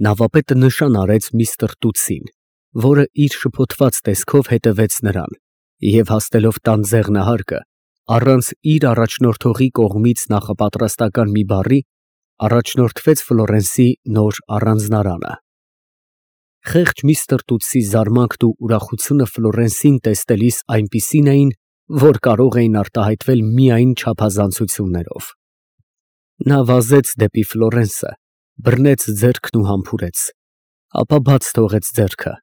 Նավապետը նշան արեց միստր Տուտսին, որը իր շփոթված տեսքով հետևեց նրան, և հասնելով տան ձեղնահարկը, առանց իր առաջնորդողի կողմից նախապատրաստական մի բառի, առաջնորդվեց Ֆլորենսի նոր առանձնարանը։ Խեղճ միստր Տուտսի զարմանքն ու ուրախությունը Ֆլորենսին տեսնելիս այնպիսին էին, որ կարող էին արտահայտվել միայն չափազանցություններով։ Նա վազեց դեպի Ֆլորենսը, բռնեց ձեռքն ու համբուրեց, ապա բաց թողեց ձեռքը,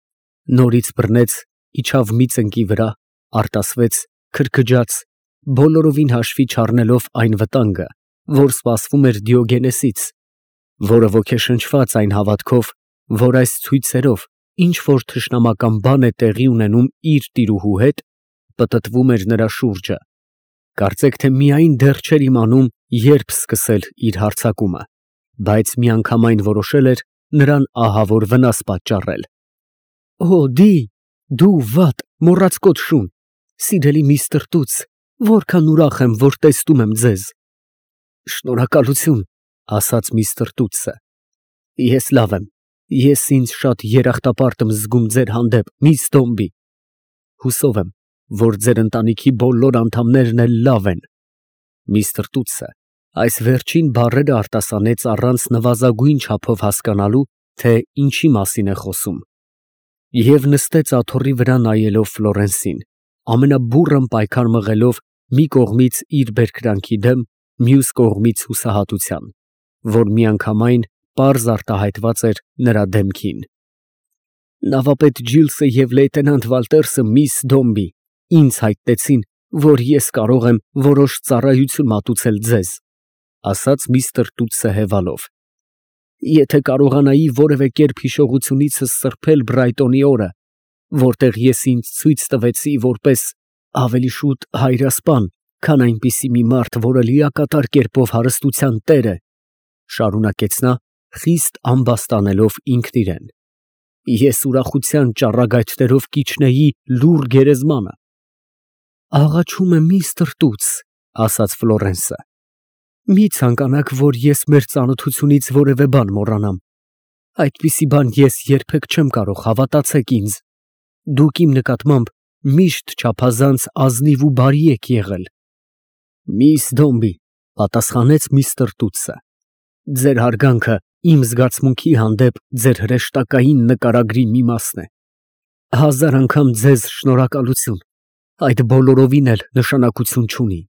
նորից բռնեց, իջավ մի ծնկի վրա, արտասվեց, քրքջաց, բոլորովին հաշվի չառնելով այն վտանգը, որ սպասվում էր Դիոգենեսից, որը ոգեշնչված այն հավատքով, որ այս ցույցերով ինչ որ թշնամական բան է տեղի ունենում իր տիրուհու հետ, պտտվում էր նրա շուրջը, կարծեք թե միայն դեռ չէր իմանում, երբ սկսել իր հարձակումը, բայց միանգամայն որոշել էր նրան ահավոր վնաս պատճառել։ Օ, դու վատ, մոռացկոտ շուն, սիրելի միստր Տուտս, որքան ուրախ եմ, որ տեսնում եմ ձեզ։ Շնորհակալություն, ասաց միստր Տուտսը։ Ես լավ եմ, ես ինձ շատ երախտապարտ եմ զգում ձեր հանդեպ, միս Դոմբի։ Հուսով եմ, որ ձեր ընտանիքի բոլոր անդամներն էլ լավ են։ Միստր Տուտսը այս վերջին բառերը արտասանեց առանց նվազագույն չափով հասկանալու, թե ինչի մասին է խոսում, և նստեց աթոռի վրա նայելով Ֆլորենսին, ամենաբուռն պայքար մղելով մի կողմից իր բերկրանքի դեմ, մյուս կողմից հուսահատության, որ միանգամայն պարզ արտահայտված էր նրա դեմքին։ Նավապետ Ջիլսը և լեյտենանտ Վալտերսը միս Դոմբի ինձ հայտնեցին, որ ես կարող եմ որոշ ծառայություն մատուցել ձեզ, ասաց միստր Տուտսը հևալով։ Եթե կարողանայի որևէ կերպ հիշողությունիցս սրբել Բրայտոնի օրը, որտեղ ես ինձ ցույց տվեցի որպես ավելի շուտ հայրասպան, քան այնպիսի մի մարդ, որը լիակատար կերպով հարստության տեր է, շարունակեց նա, խիստ ամբաստանելով ինքն իրեն, ես ուրախության ճառագայթներով կիջնեի լուռ գերեզմանը։ Աղաչում եմ միստր Տուտս, ասաց Ֆլորենսը, մի ցանկանաք, որ ես մեր ծանոթությունից որևէ բան մոռանամ։ Այդպիսի բան ես երբեք չեմ կարող, հավատացեք ինձ։ Դուք իմ նկատմամբ միշտ չափազանց ազնիվ ու բարի եք եղել։ Միս Դոմբի, պատասխանեց միստր Տուտսը, ձեր հարգանքը իմ զգացմունքի հանդեպ ձեր հրեշտակային նկարագրի մի մասն է։ 1000 անգամ ձեզ շնորհակալություն, այդ բոլորովին էլ նշանակություն չունի։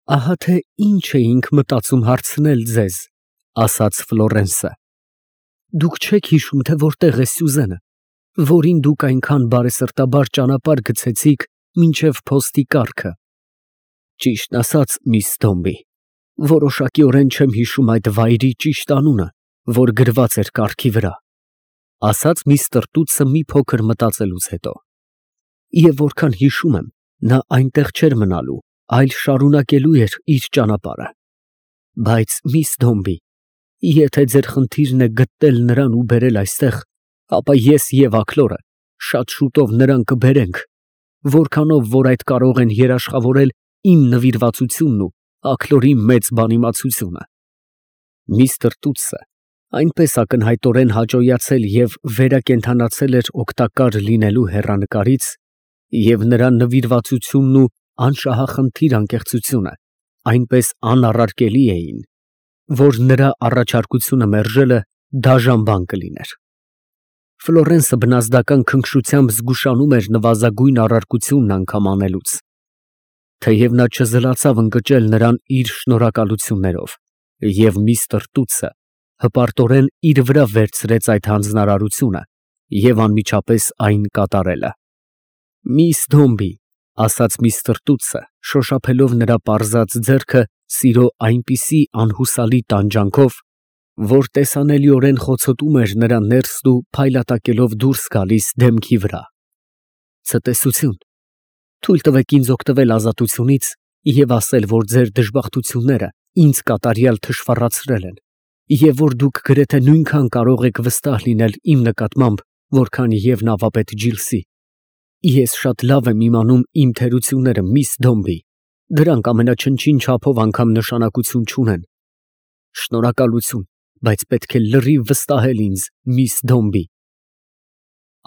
Ահա թե ինչ էինք մտածում հարցնել ձեզ, ասաց Ֆլորենսը։ Դուք չեք հիշում, թե որտեղ է Սյուզենը, որին դուք այնքան բարեսրտաբար ճանապարհ գցեցիք մինչև փոստի կառքը։ Ճիշտն ասած, միս Դոմբի, որոշակիորեն չեմ հիշում այդ վայրի ճիշտ անունը, որ գրված էր կառքի վրա, ասաց միստր Տուտսը մի փոքր մտածելուց հետո։ Եվ որքան հիշում եմ, նա այնտեղ չէր մնալու, այլ շարունակելու էր իր ճանապարհը։ Բայց միս Դոմբի, եթե ձեր խնդիրն է գտնել նրան ու բերել այստեղ, ապա ես և Աքլորը շատ շուտով նրան կբերենք, որքանով որ այդ կարող են երաշխավորել իմ նվիրվածությունն ու Աքլորի մեծ բանիմացությունը։ Միստր Տուտսը այնպես ակնհայտորեն հաճոյացել և վերակենդանացել էր օգտակար լինելու հեռանկարից, և նրա նվիրվածությունն ու անշահախնդիր անկեղծությունը այնպես անառարկելի էին, որ նրա առաջարկությունը մերժելը դաժան բան կլիներ։ Ֆլորենսը բնազդական քնքշությամբ զգուշանում էր նվազագույն առարկությունն անգամ անելուց, թեև նա չզլացավ ընկճել նրան իր շնորհակալություններով, և միստր Տուտսը հպարտորեն իր վրա վերցրեց այդ հանձնարարությունը և անմիջապես այն կատարելը։ Միս Դոմբի, ասաց միստր Տուտսը, շոշափելով նրա պարզած ձեռքը սիրո այնպիսի անհուսալի տանջանքով, որ տեսանելիորեն խոցոտում էր նրա ներսն ու փայլատակելով դուրս գալիս դեմքի վրա։ Ցտեսություն, թույլ տվեք ինձ օգտվել ազատությունից և ասել, որ ձեր դժբախտությունները ինձ կատարյալ թշվառացրել են, և որ դուք գրեթե նույնքան կարող եք վստահ լինել իմ նկատմամբ, որքան և նավապետ Ջիլսի։ Ես շատ լավ եմ իմանում իմ թերությունները, միս Դոմբի, դրանք ամենաչնչին չափով անգամ նշանակություն չունեն։ Շնորհակալություն, բայց պետք է լրիվ վստահել ինձ, միս Դոմբի։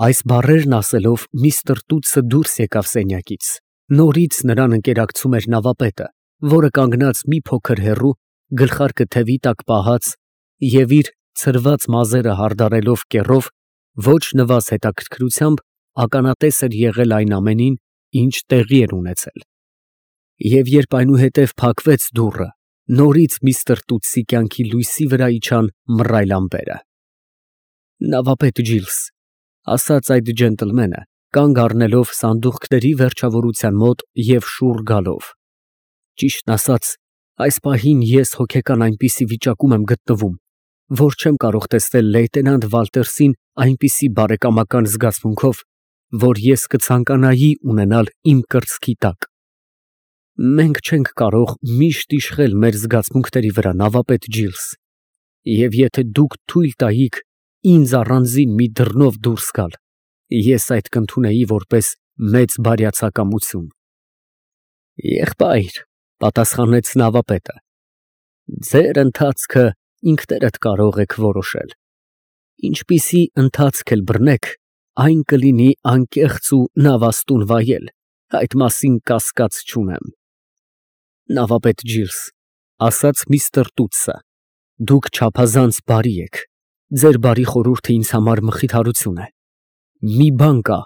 Այս բառերն ասելով միստր Տուտսը դուրս եկավ սենյակից։ Նորից նրան ընկերակցում էր նավապետը, որը կանգնած մի փոքր հեռու, գլխարկը թևի տակ պահած և իր ցրված մազերը հարդարելով կեռով, ոչ նվազ հետաքրքրությամբ ականատես էր եղել այն ամենին, ինչ տեղի էր ունեցել։ Եվ երբ այնուհետև փակվեց դուռը, նորից միստր Տուտսի կյանքի լույսի վրա իջան մռայլ ամպերը։ Նավապետ Ջիլս, ասաց այդ ջենտլմենը, կանգ առնելով սանդուղքների վերջավորության մոտ և շուռ գալով։ Ճիշտն ասած, այս պահին ես հոգեկան այնպիսի վիճակում եմ գտնվում, որ չեմ կարող տեսնել լեյտենանտ Վալտերսին այնպիսի բարեկամական զգացմունքով, որ ես կցանկանայի ունենալ իմ կրծքի տակ։ Մենք չենք կարող միշտ իշխել մեր զգացմունքների վրա, նավապետ Ջիլս, և եթե դուք թույլ տայիք ինձ առանձին մի դռնով դուրս գալ, ես այդ կընդունեի որպես մեծ բարյացակամություն։ Եղբայր, պատասխանեց նավապետը, ձեր ընթացքը ինքներդ կարող եք որոշել։ Ինչպիսի ընթացք էլ բռնեք, այն կլինի անկեղծ ու նավաստուն վայել, այդ մասին կասկած չունեմ։ Նավապետ Ջիլս, ասաց միստր Տուտսը, դուք չափազանց բարի եք, ձեր բարի խորհուրդը ինձ համար մխիթարություն է։ Մի բան կա,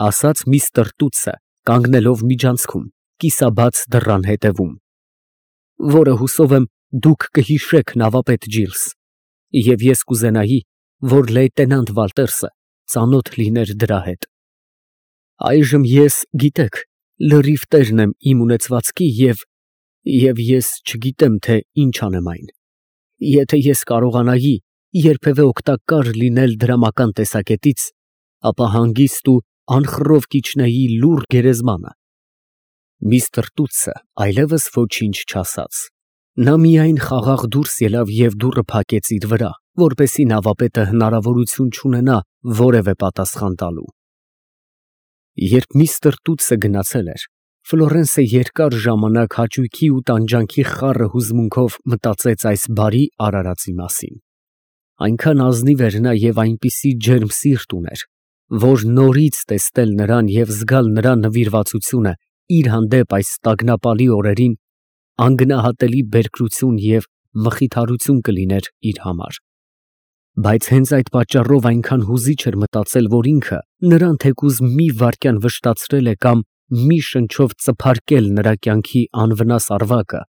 ասաց միստր Տուտսը, կանգնելով միջանցքում, կիսաբաց դռան հետևում, որը հուսով եմ դուք կհիշեք, նավապետ Ջիլս, և ես կուզենայի, որ լեյտենանտ Վալտերսը ծանոթ լիներ դրա հետ։ Այժմ ես, գիտեք, լրիվ տերն եմ իմ ունեցվածքի և ես չգիտեմ, թե ինչ անեմ այն։ Եթե ես կարողանայի երբևէ օգտակար լինել դրամական տեսակետից, ապա հանգիստ ու անխռով կիջնեի լուռ գերեզմանը։ Միստր Տուտսը այլևս ոչինչ չասաց։ Նա միայն խաղաղ դուրս ելավ և դուռը փակեց իր վրա, որպեսզի նավապետը հնարավորություն չունենա որևէ պատասխան տալու։ Երբ միստր Տուտսը գնացել էր, Ֆլորենսը երկար ժամանակ հաճույքի ու տանջանքի խառը հուզմունքով մտածեց այս բարի արարածի մասին։ Այնքան ազնիվ էր նա և այնպիսի ջերմ սիրտ ուներ, որ նորից տեսնել նրան և զգալ նրա նվիրվածությունը իր հանդեպ այս տագնապալի օրերին անգնահատելի բերկրություն և մխիթարություն կլիներ իր համար։ Բայց հենց այդ պատճառով այնքան հուզիչ էր մտածել, որ ինքը նրան թեկուզ մի վայրկյան վշտացրել է կամ մի շնչով ծփարկել նրա կյանքի անվնաս ավակը,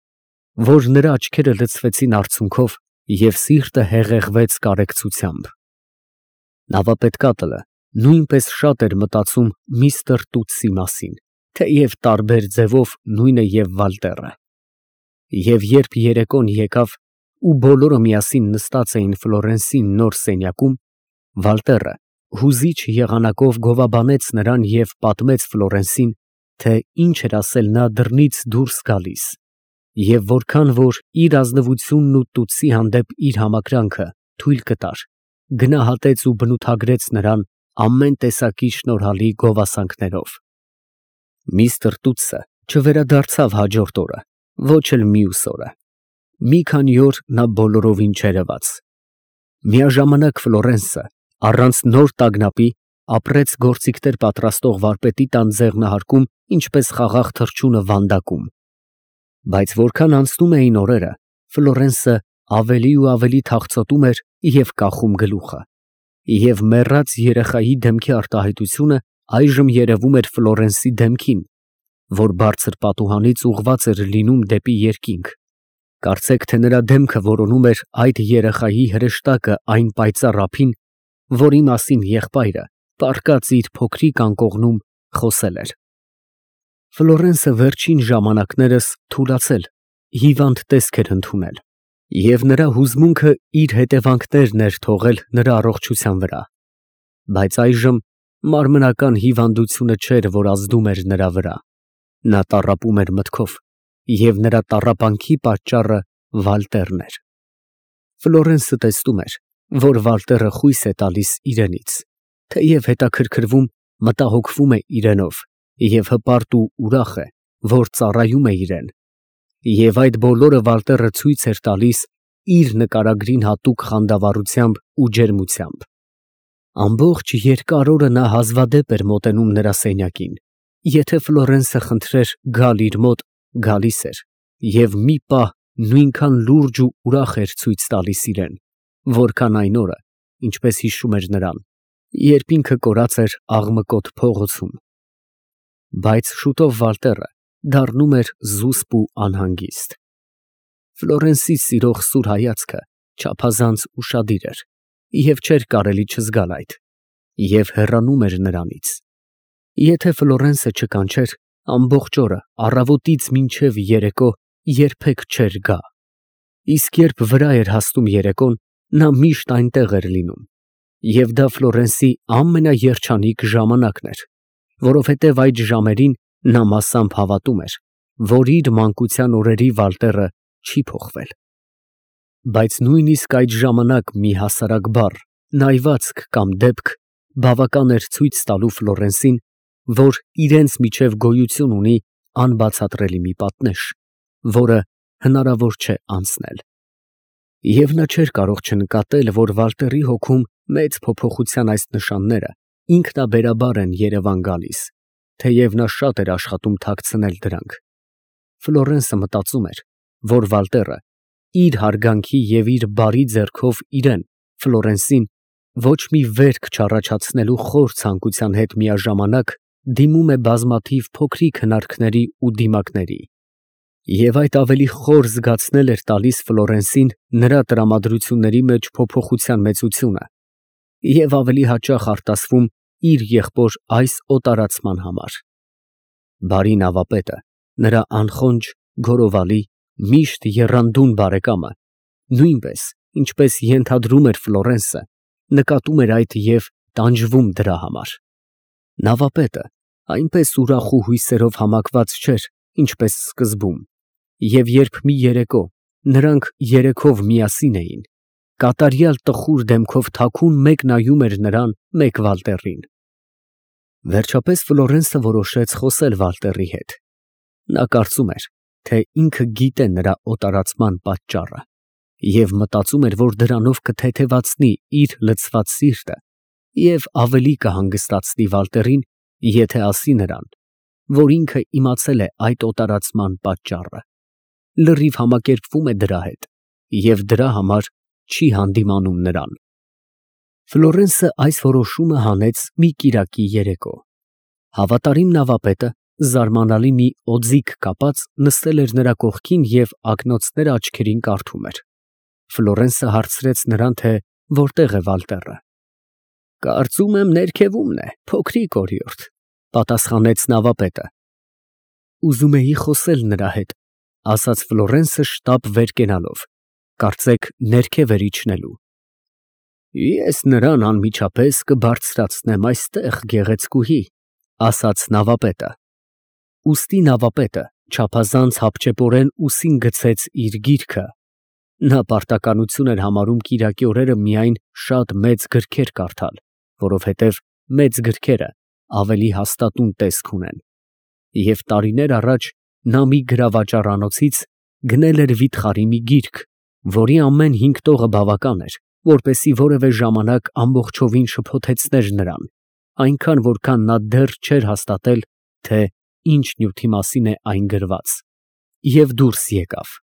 որ նրա աչքերը լցվեցին արցունքով և սիրտը հեղեղվեց կարեկցությամբ։ Նավապետ Կատլը նույնպես շատ էր մտածում միստր Տուտսի մասին, թեև տարբեր ձևով նույնը և Վալտերը։ Եվ երբ երեկոն եկավ ու բոլորը միասին նստած էին Ֆլորենսի նոր սենյակում, Վալտերը հուզիչ եղանակով գովաբանեց նրան և պատմեց Ֆլորենսին, թե ինչ էր ասել նա դռնից դուրս գալիս, և որքան որ իր ազնվությունն ու Տուտսի հանդեպ իր համակրանքը թույլ կտար, գնահատեց ու բնութագրեց նրան ամեն տեսակի շնորհալի գովասանքներով։ Միստր Տուտսը չվերադարձավ հաջորդ օրը, ոչ էլ մյուս օրը։ Մի քանի օր նա բոլորովին չերևաց։ Միաժամանակ Ֆլորենսը, առանց նոր տագնապի, ապրեց գործիքներ պատրաստող վարպետի տան ձեղնահարկում, ինչպես խաղաղ թռչունը վանդակում։ Բայց որքան անցնում էին օրերը, Ֆլորենսը ավելի ու ավելի թախծոտում էր և կախում գլուխը, և մեռած երեխայի դեմքի արտահայտությունը այժմ երևում էր Ֆլորենսի դեմքին, որ բարձր պատուհանից ուղղված էր լինում դեպի երկինք։ Կարծեք, թե նրա դեմքը որոնում էր այդ երեխայի հրեշտակը այն պայծառ ափին, որի մասին եղբայրը, պառկած իր փոքրիկ անկողնում, խոսել էր։ Ֆլորենսը վերջին ժամանակներս թուլացել, հիվանդ տեսք էր ընդունել, և նրա հուզմունքը իր հետևանքներն էր թողել նրա առողջության վրա։ Բայց այժմ մարմնական հիվանդությունը չէր, որ ազդում էր նրա վրա։ Նա տառապում էր մտքով, և նրա տառապանքի պատճառը Վալտերն էր։ Ֆլորենսը տեսնում էր, որ Վալտերը խույս է տալիս իրենից, թեև հետաքրքրվում, մտահոգվում է իրենով և հպարտ ու ուրախ է, որ ծառայում է իրեն, և այդ բոլորը Վալտերը ցույց էր տալիս իր նկարագրին հատուկ խանդավառությամբ ու ջերմությամբ։ Ամբողջ երկար օրը նա հազվադեպ էր մոտենում նրա սենյակին, եթե Ֆլորենսը խնդրեր գալ իր մոտ, գալիս էր, և մի պահ նույնքան լուրջ ու ուրախ էր ցույց տալիս իրեն, որքան այն օրը, ինչպես հիշում էր նրան, երբ ինքը կորած էր աղմկոտ փողոցում։ Բայց շուտով Վալտերը դառնում էր զուսպ ու անհանգիստ։ Ֆլորենսի սիրող սուր հայացքը չափազանց ուշադիր էր, և չէր կարելի չզգալ այդ, և հեռանում էր նրանից։ Եթե Ֆլորենսը չկանչեր, ամբողջ օրը, առավոտից մինչև երեկո երբեք չէր գա, իսկ երբ վրա էր հասնում երեկոն, նա միշտ այնտեղ էր լինում, և դա Ֆլորենսի ամենաերջանիկ ժամանակն էր, որովհետև այդ ժամերին նա մասամբ հավատում էր, որ իր մանկության օրերի Վալտերը չի փոխվել։ Բայց նույնիսկ այդ ժամանակ մի հասարակ բառ, նայվածք կամ դեպք բավական էր ցույց տալու Ֆլորենսին, որ իրենց միջև գոյություն ունի անբացատրելի մի պատնեշ, որը հնարավոր չէ անցնել։ Եվ նա չէր կարող չնկատել, որ Վալտերի հոգում մեծ փոփոխության այս նշանները ինքնաբերաբար են երևան գալիս, թեև նա շատ էր աշխատում թաքցնել դրանք։ Ֆլորենսը մտածում էր, որ Վալտերը իր հարգանքի և իր բարի ձեռքով իրեն, Ֆլորենսին, ոչ մի վերք չառաջացնելու խոր ցանկության հետ միաժամանակ դիմում է բազմաթիվ փոքրիկ հնարքների ու դիմակների, և այդ ավելի խոր զգացնել էր տալիս Ֆլորենսին նրա տրամադրությունների մեջ փոփոխության մեծությունը և ավելի հաճախ արտասվում իր եղբոր այս օտարացման համար։ Բարի նավապետը, նրա անխոնջ, գոռովալի, միշտ եռանդուն բարեկամը, նույնպես, ինչպես ենթադրում էր Ֆլորենսը, նկատում էր այդ և տանջվում դրա համար։ Նավապետը այնպես ուրախ ու հույսերով համակված չէր, ինչպես սկզբում, և երբ մի երեկո նրանք երեքով միասին էին, կատարյալ տխուր դեմքով թաքուն մեկ նայում էր նրան, մեկ Վալտերին։ Վերջապես Ֆլորենսը որոշեց խոսել Վալտերի հետ։ Նա կարծում էր, թե ինքը գիտե նրա օտարացման պատճառը, և մտածում էր, որ դրանով կթեթևացնի իր լցված սիրտը և ավելի կհանգստացնի Վալտերին, եթե ասի նրան, որ ինքը իմացել է այդ օտարացման պատճառը, լրիվ համակերպվում է դրա հետ և դրա համար չի հանդիմանում նրան։ Ֆլորենսը այս որոշումը հանեց մի կիրակի երեկո։ Հավատարիմ նավապետը, զարմանալի մի օձիք կապած, նստել էր նրա կողքին և ակնոցները աչքերին կարդում էր։ Ֆլորենսը հարցրեց նրան, թե որտեղ է Վալտերը։ Կարծում եմ ներքևումն է, փոքրիկ օրիորդ, պատասխանեց նավապետը։ Ուզում էի խոսել նրա հետ, ասաց Ֆլորենսը շտապ վեր կենալով, կարծեք ներքև էր իջնելու։ Ես նրան անմիջապես կբարձրացնեմ այստեղ, գեղեցկուհի, ասաց նավապետը։ Ուստի նավապետը չափազանց հապճեպորեն ուսին գցեց իր գիրքը. նա պարտականություն էր համարում կիրակի օրերը միայն շատ մեծ գրքեր կարդալ, որովհետև մեծ գրքերը ավելի հաստատուն տեսք ունեն, և տարիներ առաջ նա մի գրավաճառանոցից գնել էր վիթխարի մի գիրք, որի ամեն 5 տողը բավական էր, որպեսզի որևէ ժամանակ ամբողջովին շփոթեցներ նրան, այնքան որքան նա դեռ չէր հաստատել, թե ինչ նյութի մասին է այն գրված, և դուրս եկավ։